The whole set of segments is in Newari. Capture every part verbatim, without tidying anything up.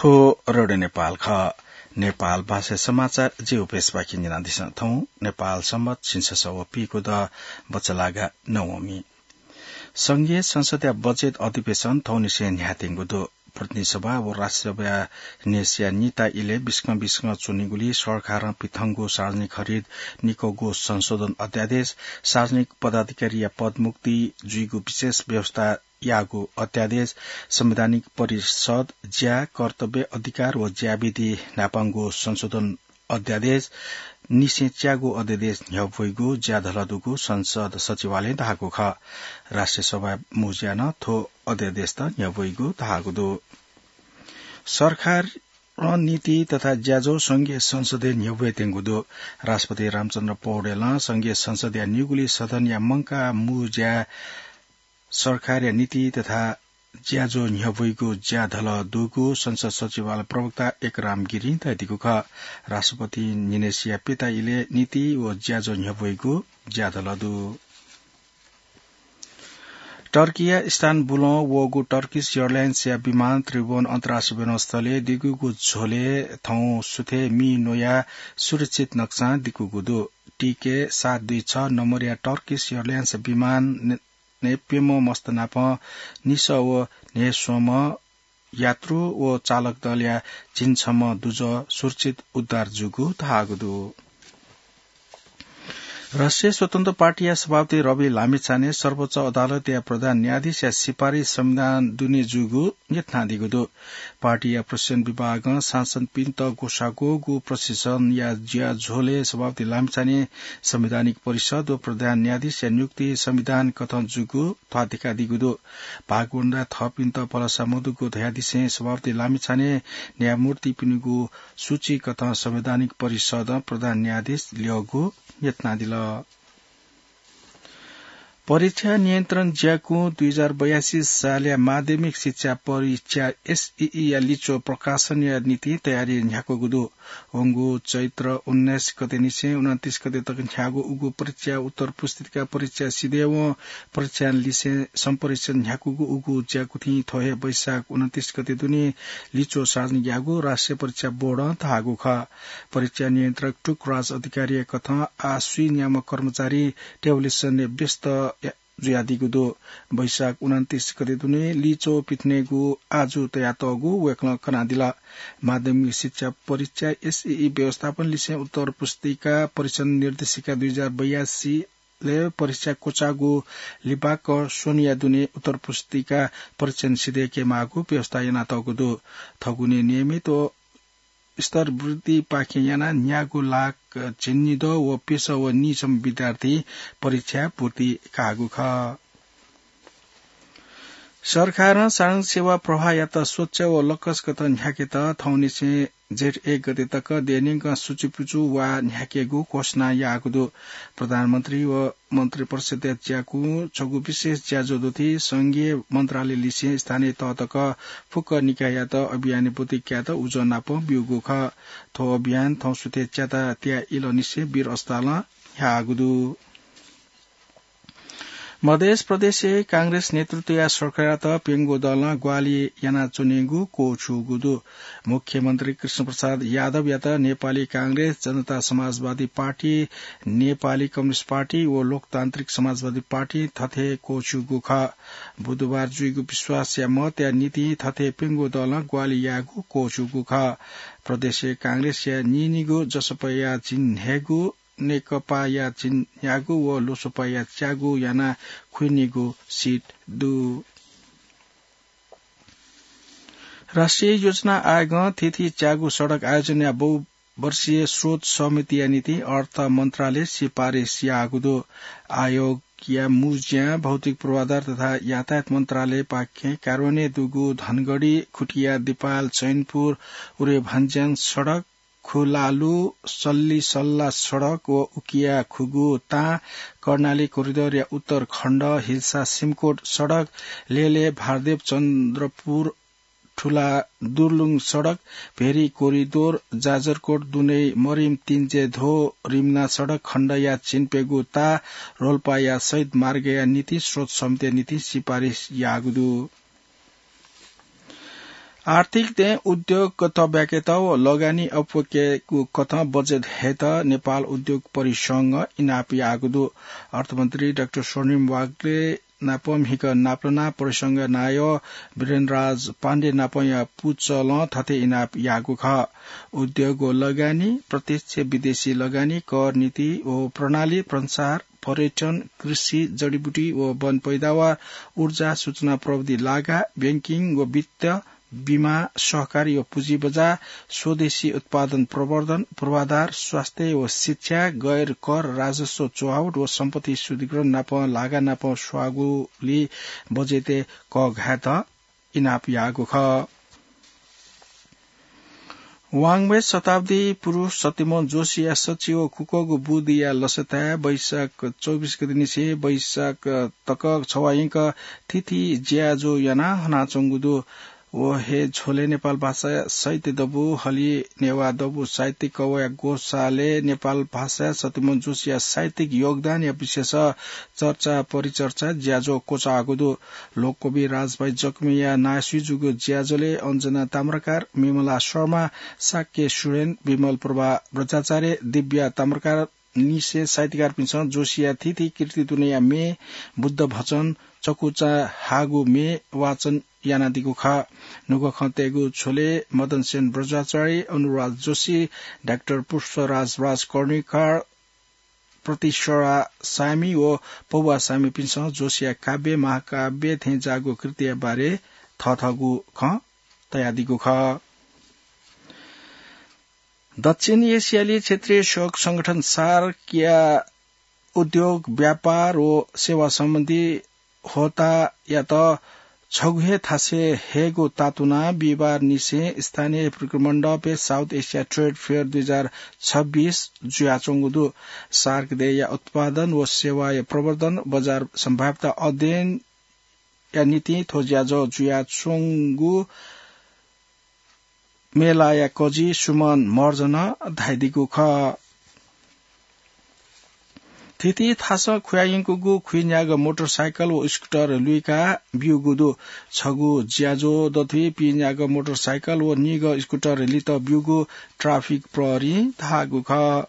थ्व रेडियो नेपाल खः। नेपाल भाषा समाचार जि उपेशपाखें न्यनादिसँ। थौं नेपाल संवत झिंछसः व पीगू द बचलागा नवमी। संघीय संसदया बजेट अधिवेशन थौंनिसें न्ह्याथेंगु दु। प्रतिनिधि सभा व राष्ट्रिय सभाया न्ह्यसिया निता इलय् बिस्कं बिस्कं च्वनीगुलिं सरकारं पिथंगु सार्वजनिक खरिद निकःगु संशोधन अध्यादेश, सार्वजनिक पदाधिकारीया पदमुक्ति जुइगु विशेष व्यवस्था याःगु अध्यादेश, संवैधानिक परिषद ज्या कर्तव्य अधिकार व ज्याविधि न्हापांगु संशोधन अध्यादेश, निसें च्यागू अध्यादेश न्ह्यब्वइगु ज्याधलः दुगु संसद सचिवालयं धाःगु खः। राष्ट्रिय सभाया मू ज्या नं थ्व अध्यादेशत न्ह्यब्वइगु धाःगु दु। सरकारं नीति तथा ज्याझ्वः संघीय संसदय् न्ह्यब्वयेत्यंगु दु। राष्ट्रपति रामचन्द्र पौडेलं संघीय संसदया निगुलिं सदनया मंकाः मू ज्या सरकारया नीति तथा ज्याझ्वः न्ह्यब्वइगु ज्याधलः दुगु संसद सचिवालय प्रवक्ता एकराम गिरिं धयादीगु खः। राष्ट्रपतिं न्हिनय्सिया प्यता इलय् नीति व ज्याझ्वः न्ह्यब्वइगु ज्याधलः दु। टर्कीया इस्तानबुलं वःगु Turkish Airlines-या विमान त्रिभुवन अन्तर्राष्ट्रिय विमानस्थलय् दिगुगु झ्वलय् थौं सुथय् मि न्वयाः सुरक्षित नकसां दिकूगु दु। TK सात दुई छ नम्बरया Turkish Airlines विमान ने प्यम्ह मस्त नाप निसः व न्हय्स्वम्ह यात्रु व चालक दलया झिंछम्ह दुजः सुरक्षित उद्धार जूगु धाःगु दु। राष्ट्रिय स्वतन्त्र पार्टीया सभापति रवि लामिछाने सर्वोच्च अदालतया प्रधान न्यायाधीशया सिफारिस संविधान दुने जूगु न्यथनादीगु दु। पार्टीया प्रशासन विभागं सांसदपिन्त ग्वसाः ग्वःगु प्रशासनया ज्याझ्वलय् सभापति लामिछाने संवैधानिक परिषद व प्रधान न्यायाधीशया नियुक्ति संविधान कथं जूगु ध्वाथुइकादीगु दु। भागवण्डा थःपिन्त भलसा मदुगु धयादिसें सभापति लामिछाने न्यायमूर्तिपिनिगु सूची कथं संवैधानिक परिषदं प्रधान न्यायाधीश ल्यःगु न्यथनादिल। परीक्षा नियन्त्रण ज्याकुँ दुई हजार बयासी सालया माध्यमिक शिक्षा परीक्षा एसईई या लिच्वः प्रकाशनया निंतिं तयारी न्ह्याकूगु दु। वंगु चैत्र उन्नाइस गतेनिसें उनन्तीस गते तक न्ह्याःगु उगु परीक्षा उत्तर पुस्तिका परीक्षा सिधयेवं परीक्षां लिसें सम्परीक्षण न्ह्याकूगु उगु ज्याकुथिं थ्व हे वैशाख उनन्तीस गते दुने लिच्वः सार्वजनिक याःगु राष्ट्रिय परीक्षा बोर्डं धाःगु खः। परीक्षा नियन्त्रक टुकराज अधिकारीया कथं आः स्वीन्याम्ह कर्मचारी टेबुलेसनय् व्यस्त जुयादीगु दु। वैशाख उनन्तीस गते दुने लिच्वः पिथनेगु आजु तयातःगु वय्कलं कनादिल। माध्यमिक शिक्षा परीक्षा एसईई व्यवस्थापन लिसें उत्तर पुस्तिका परीक्षण निर्देशिका दुई हजार बयासी लय् परीक्षा क्वचाःगु लिबाक स्वन्हुया दुने उत्तर पुस्तिका परीक्षण सिधय्केमाःगु व्यवस्था यानातःगु दु। थगुने नियमित व स्तर वृद्धिपाखें यानाः न्यागू लाख झिंनिदँ व प्यसः व नीसम्म विद्यार्थी परीक्षाय् पूर्ति काःगु खः। सरकारं सार्वजनिक सेवा प्रवाहयात स्वच्छ व लकसकत न्ह्याकेत थौंनिसें जेठ एक गते तक देय्‌न्यंकं सुचुपुचु वा न्ह्याकेगु घोषणा याःगु दु। प्रधानमन्त्री व मन्त्रिपरिषदया ज्याकुँ छगू विशेष ज्याझ्वः दुथि संघीय मन्त्रालय लिसें स्थानीय तह तक फुक्क निकाययात अभियानय् ब्वति कायेत उजं नापं ब्यूगु खः। थ्व अभियान थौं सुथय् च्याता तिया इलंनिसें वीर अस्पतालं ह्याःगु दु। मधेस प्रदेशय् कांग्रेस नेतृत्वया सरकारयात प्यंगू दलं ग्वाहालि यानाच्वनेगु क्वःछूगु दु। मुख्यमन्त्री कृष्णप्रसाद यादवयात नेपाली कांग्रेस, जनता समाजवादी पार्टी, नेपाली कम्युनिस्ट पार्टी व लोकतान्त्रिक समाजवादी पार्टी थथे क्वःछूगु खः। बुधबार जुइगु विश्वासया मतया निंतिं थथे प्यंगू दलं ग्वाहालि याःगु क्वःछूगु खः। प्रदेशय् कांग्रेसया नीनिगू, जसपाया झिंन्हय्गू, नेकपाया झिंन्यागू व लोसपाया च्यागू यानाः खुइनिगू सिट दु। राष्ट्रिय योजना आयोगं थीथी च्यागू सडक आयोजनया बहुवर्षीय स्रोत समितिया निंतिं अर्थ मन्त्रालय सिफारिस याःगु दु। आयोगया मू ज्यां भौतिक पूर्वाधार तथा यातायात मन्त्रालयपाखें कार्यान्वयन दुगु धनगढी, खुटिया, दिपायल, चैनपुर, उरे भन्ज्याङ सडक, खुलालु सल्लिसल्ला सडक व उकिया खुगू तां, कर्णाली कोरिडरया उत्तर खण्ड, हिल्सा सिमकोट सडक, लेले भारदेव चन्द्रपुर ठुला दुर्लुङ सडक, भेरी कोरिडोर, जाजरकोट दुनै मरिम तिन्जे धो रिम्ना सडक खण्डया झिंप्यंगू ताः, रोल्पाया शहीद मार्गया निंतिं स्रोत समितिया निंतिं सिफारिस याःगु दु। आर्थिक दँय् उद्योग तब्याकेत व लगानी अप्वकेगु कथं बजेट हयेत नेपाल उद्योग परिसंघं इनाप याःगु दु। अर्थमन्त्री डाक्टर स्वर्णिम वाग्ले नाप म्हिगः नापलाना परिसंघया नायः वीरेन्द्रराज पाण्डे नापया पुचलं थथे इनाप याःगु खः। उद्योग व लगानी, प्रत्यक्ष विदेशी लगानी, कर नीति व प्रणाली, प्रसार, पर्यटन, कृषि, जडीबुटी व वन पैदावार, ऊर्जा, सूचना प्रविधि लागा, बैंकिङ व वित्त, बिमा, सहकारी व पुँजी बजार, स्वदेशी उत्पादन प्रवर्धन, पूर्वाधार, स्वास्थ्य व शिक्षा, गैर कर राजस्व चुहावट व सम्पत्ति शुद्धिकरण नाप लागा नाप स्वाःगुली बजेटय् कःघायेत इनाप याःगु खः। वाङ्मय शताब्दी पुरुष सत्यमोहन जोशीया सच्छि व कुकःगु बुदिया लसताय् वैशाख चौबिस गते निसें वैशाख तक छवाः यंक थीथी ज्याझ्वः यानाः हनाच्वंगु दु। व हे झ्वलय् नेपाल भाषा साहित्य दबू, हलिं नेवाः दबू साहित्यिक कवःया ग्वसालय् नेपाल भाषाय् सत्यमोहन जोशीया साहित्यिक योगदानया विषयस चर्चा परिचर्चा ज्याझ्वः क्वचाःगु दु। लोककवि राजभाइ जकमिया नायःसुइ जूगु ज्याझ्वलय् अञ्जना ताम्राकार, विमला शर्मा, शाक्य सुरेन, विमल प्रभा बज्राचार्य, दिव्या ताम्राकार निसें साहित्यकारपिन्सं जोशीया थीथी कृति दुनेया म्ये, बुद्ध भजन, चकुचा हाःगु म्ये वाचन यानादीगु खः। नुगः खँ तयेगु झ्वलय् मदनसेन बज्राचार्य, अनुराज जोशी, डाक्टर पुष्पराज राजकर्णिकार, प्रतिसरा साय्मि व पौवा साय्मिपिन्सं जोशीया काव्य, महाकाव्य थें जाःगु कृतिया बारे थःथःगु खँ तयादीगु खः। दक्षिण एसियाली क्षेत्रीय सहयोग संगठन सार्कया उद्योग, व्यापार व सेवा सम्बन्धी होतायात छगू हे थासय् हयेगु तातुनाः बिहिबार निसें स्थानीय विक्रम मण्डपय् South Asia Trade Fair दुई हजार छब्बिस जुयाच्वंगु दु। सार्क देय्‌या उत्पादन व सेवाया प्रवर्धन, बजार सम्भाव्यता अध्ययनया निंतिं थ्व ज्याझ्वः जुयाच्वंगु मेलाया कजि सुमन महर्जनं धयादीगु खः। थीथी थासं खुयायंकूगु खुइन्यागः मोटरसाइकल व स्कुटर लुइका ब्यूगु दु। छगू ज्याझ्वः दथुइ पिन्यागः मोटरसाइकल व निगः स्कुटर लित ब्यूगु ट्राफिक प्रहरीं धाःगु खः।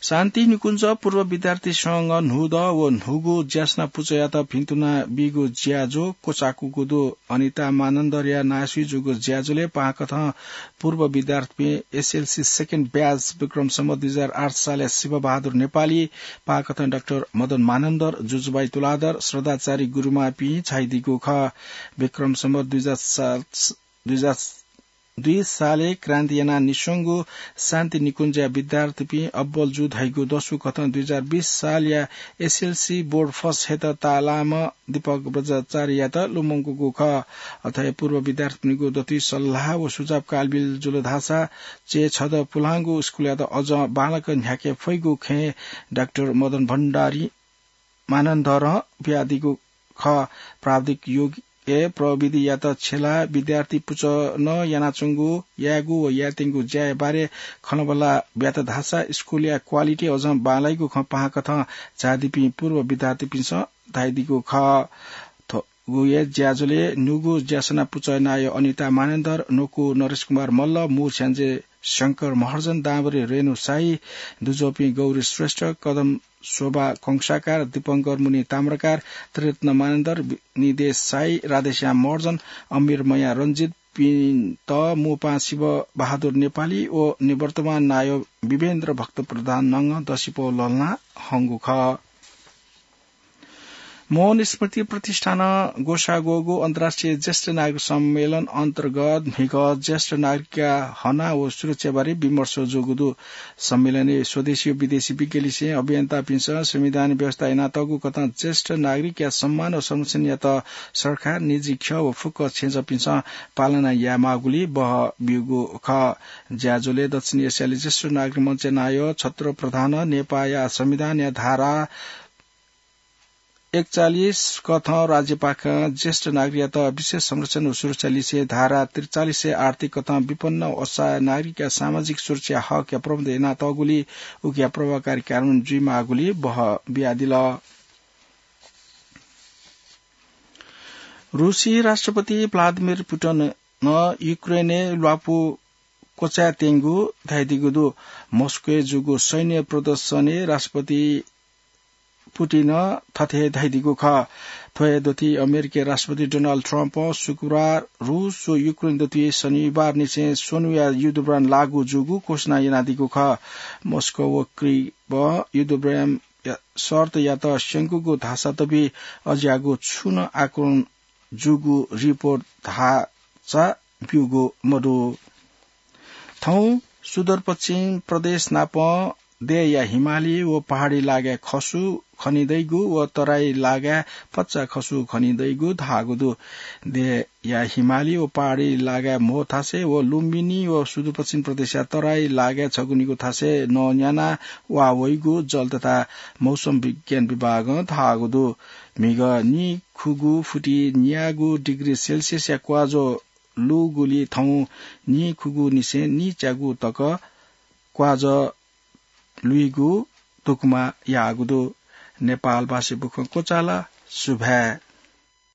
शान्ति निकुञ्ज पूर्व विद्यार्थी संघ न्हूदँ व न्हूगु ज्यासना पुचःयात भिन्तुना बीगु ज्याझ्वः क्वचाकूगु दु। अनिता मानन्धरया नायःसुइ जूगु ज्याझ्वलय् पाहांकथं पूर्व विद्यार्थीपिं एसएलसी second batch विक्रम सम्वत दुई हजार आठ सालया शिवबहादुर नेपाली, पाहांकथं डाक्टर मदन मानन्धर, जुजुबाई तुलाधर, श्रद्धाचारी गुरुमांपिं झायादीगु खः। विक्रम सम्वत दुई हजार सात, दुई हजार दुई सालय् क्रान्ति यानाः निस्वंगु शान्ति निकुञ्जया विद्यार्थीपिं अब्बल जू धइगु दसु कथं दुई हजार बीस सालया एसएलसी बोर्ड फस हयेत ताःलाःम्ह दीपक बज्राचार्ययात लुमंकूगु खः। अथे पूर्व विद्यार्थीपिनिगु दथुइ सल्लाह व सुझाव कालबिल जुल धाःसा चय् छदँ पुलांगु स्कुलयात अझ बांलाक न्ह्याके फइगु खँय् डाक्टर मदन भण्डारी मानन्धरं बियादीगु खः। प्राविधिक युगय् प्रविधियात छ्यलाः विद्यार्थी पुचलं यानाच्वंगु, यायेगु व यायेत्यंगु ज्याया बारे खँल्हाबल्हा ब्यात धाःसा स्कुलया क्वालिटी अझं बांलाइगु खँ पाहांकथं झायादीपिं पूर्व विद्यार्थीपिन्सं धयादीगु खः। थ्व गुया ज्याझ्वलय् न्हूगु ज्यासना पुचःया नायः अनिता मानन्धर, न्वकू नरेश कुमार मल्ल, मू स्याञ्जे शंकर महर्जन, दांभरि रेणु शाही, दुजःपिं गौरी श्रेष्ठ, कदम शोभा कंसाकार, दीपंकर मुनि ताम्राकार, त्रिरत्न मानन्धर, निदेश शाही, राधेश्याम महर्जन, अमीर मया रञ्जितपिन्त मू पाहां शिवबहादुर नेपाली व निवर्तमान नायः विभेन्द्र भक्त प्रधानं दसिपौ लःल्हाना हंगु खः। मोहन स्मृति प्रतिष्ठानं ग्वसाः ग्वःगु अन्तर्राष्ट्रिय ज्येष्ठ नागरिक सम्मेलन अन्तर्गत म्हिगः ज्येष्ठ नागरिकया हना व सुरक्षा बारे विमर्श जूगु दु। सम्मेलनय् स्वदेशी व विदेशी विज्ञ लिसें अभियन्तापिन्सं संविधानय् व्यवस्था यानातःगु कथं ज्येष्ठ नागरिकया सम्मान व संरक्षणयात सरकार, निजी ख्यः व फुक्क छेँजःपिन्सं पालना यायेमाःगुली बहः ब्यूगु खः। ज्याझ्वलय् दक्षिण एसियाली ज्येष्ठ नागरिक मञ्चया नायः छत्र प्रधानं नेपाःया संविधानया धारा एकचालिस कथं राज्यपाखें ज्येष्ठ नागरिकयात विशेष संरक्षण व सुरक्षा लिसें धारा त्रिचालिसय् आर्थिक कथं विपन्न व असहाय नागरिकया सामाजिक सुरक्षा हकया प्रबन्ध यानातःगुली उकिया प्रभावकारी कार्यान्वयन जुइमाःगुली बहः बियादिल। रुसी राष्ट्रपति भ्लादिमिर पुटिनं युक्रेनय् ल्वापु क्वचाय् त्यंगु धयादीगु दु। मस्कोय् जूगु सैन्य प्रदर्शनय् राष्ट्रपति पुटिनं थथे धयादीगु खः। थ्व हे दथुइ अमेरिकी राष्ट्रपति डोनाल्ड ट्रम्पं शुक्रबार रुस व युक्रेन दथुइ शनिबार निसें स्वन्हुया युद्धविराम लागू जूगु घोषणा यानादीगु खः। मस्को व क्रिबं युद्धविराम या-, शर्तयात स्यंकूगु धाःसा तबि अज्याःगु छुं नं आक्रमण जूगु रिपोर्ट धाःसा ब्यूगु मदु। थौं सुदूरपश्चिम प्रदेश नापं देय्‌या हिमाली व पहाडी लागाय् खसु खनिदइगु व तराई लागाय् पच्चा खसु खनिदइगु धाःगु दु। देय्‌या हिमाली व पहाडी लागाय् म्हो थासय् व लुम्बिनी व सुदूरपश्चिम प्रदेशया तराई लागाय् छगू निगू थासय् नं न्याना वा वइगु जल तथा मौसम विज्ञान विभागं धाःगु दु। म्हिगः निखुगू फुति न्यागू डिग्री सेल्सियसया क्वाजः लूगुलिं थौं निखुगू निसें निच्यागू तक क्वाजः लुइगु धुकुमा याःगु दु। नेपालभाषी बुखँ क्वचाल। सुभाय्।